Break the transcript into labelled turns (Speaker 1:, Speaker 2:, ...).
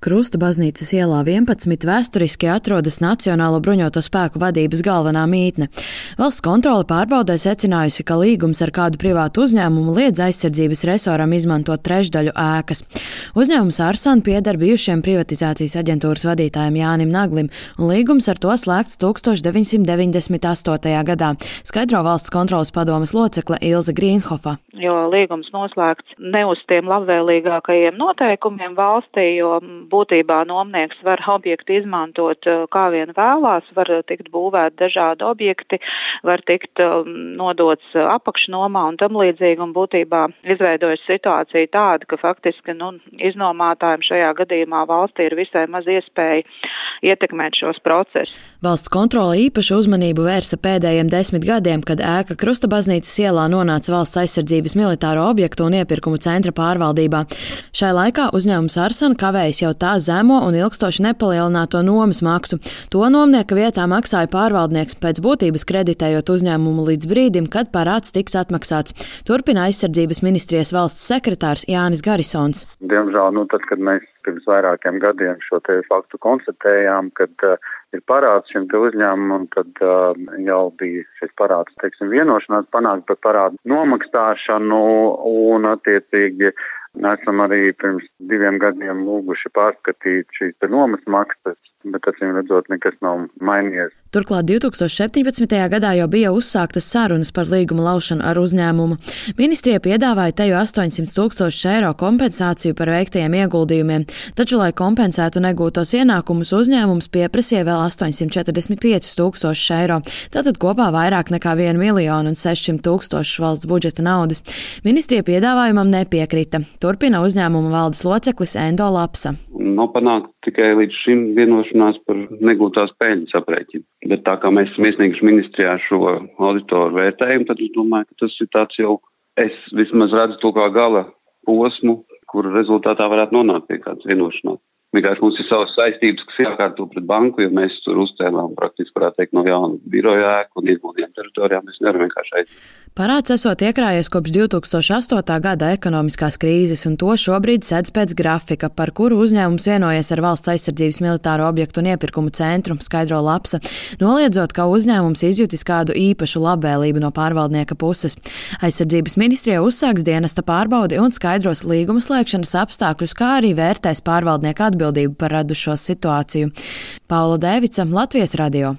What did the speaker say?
Speaker 1: Krusta baznīcas ielā 11 vēsturiski atrodas Nacionālo bruņoto spēku vadības galvenā mītne. Valsts kontrole pārbaudē secinājusi, ka līgums ar kādu privātu uzņēmumu liedz aizsardzības resoram izmantot trešdaļu ēkas. Uzņēmums Arsan pieder bijušiem privatizācijas aģentūras vadītājiem Jānim Naglim, un līgums ar to slēgts 1998. gadā, skaidro valsts kontroles padomes locekle Ilze Grīnhofa.
Speaker 2: Jo līgums noslēgts ne uz tiem labvēlīgākajiem noteikumiem valstī, jo būtībā nomnieks var objektu izmantot kā vien vēlās, var tikt būvēt dažādi objekti, var tikt nodots apakšnomā un tam līdzīgi, un būtībā izveidojas situācija tāda, ka faktiski iznomātājiem šajā gadījumā valstī ir visai maz iespēja ietekmēt šos procesus.
Speaker 1: Valsts kontrole īpašu uzmanību vērsa pēdējiem 10 gadiem, kad ēka Krusta baznīcas ielā nonāca Valsts aizsardzības militāro objektu un iepirkumu centra pārvaldībā. Šai laikā uzņēmums Arsan kavējas jau tā zemo un ilgstoši nepalielināto nomas maksu. To nomnieka vietā maksāja pārvaldnieks, pēc būtības kreditējot uzņēmumu līdz brīdim, kad parāds tiks atmaksāts. Turpina aizsardzības ministrijas valsts sekretārs Jānis Garisons.
Speaker 3: Diemžēl, tad, kad mēs pirms vairākiem gadiem šo te faktu konstatējām, kad ir parāds šim te uzņēmumam, tad jau bija šis parāds, vienošanās panākt par parādu nomaksāšanu un attiecīgi esam arī pirms 2 gadiem lūguši pārskatīt šīs nomas maksas, bet acīm redzot, nekas nav mainījies.
Speaker 1: Turklāt 2017. gadā jau bija uzsāktas sarunas par līguma laušanu ar uzņēmumu. Ministrija piedāvāja teju 800 000 eiro kompensāciju par veiktajiem ieguldījumiem, taču, lai kompensētu negūtos ienākumus, uzņēmums pieprasīja vēl 845 000 eiro, tātad kopā vairāk nekā 1 600 000 valsts budžeta naudas. Ministrija piedāvājumam nepiekrita. Turpina uzņēmuma valdes loceklis Endo Lapsa.
Speaker 4: Nav panākt tikai līdz šim vienošanās par negūtās peļņas aprēķinu. Bet tā kā mēs esam iesnieguši ministrijā šo auditoru vērtējumu, tad es domāju, ka tas ir tāds jau, es vismaz redzu to kā gala posmu, kur rezultātā varētu nonākt pie kādas vienošanās. Vienkārši mums ir savas saistības, kas jākārto pret banku, jo mēs tur uzcēlām praktiski, varētu teikt, no jauna biroja ēku un ieguldījumu teritorijā. Mēs nevaram vienkārši aiziet.
Speaker 1: Parāds esot iekrājies kopš 2008. gada ekonomiskās krīzes, un to šobrīd sedz pēc grafika, par kuru uzņēmums vienojies ar Valsts aizsardzības militāro objektu un iepirkumu centru, skaidro Lapsa, noliedzot, ka uzņēmums izjutis kādu īpašu labvēlību no pārvaldnieka puses. Aizsardzības ministrija uzsāks dienesta pārbaudi un skaidros līguma slēgšanas apstākļus, kā arī vērtēs pārvaldnieka atbildību par radušo situāciju. Paula Dēvica, Latvijas radio.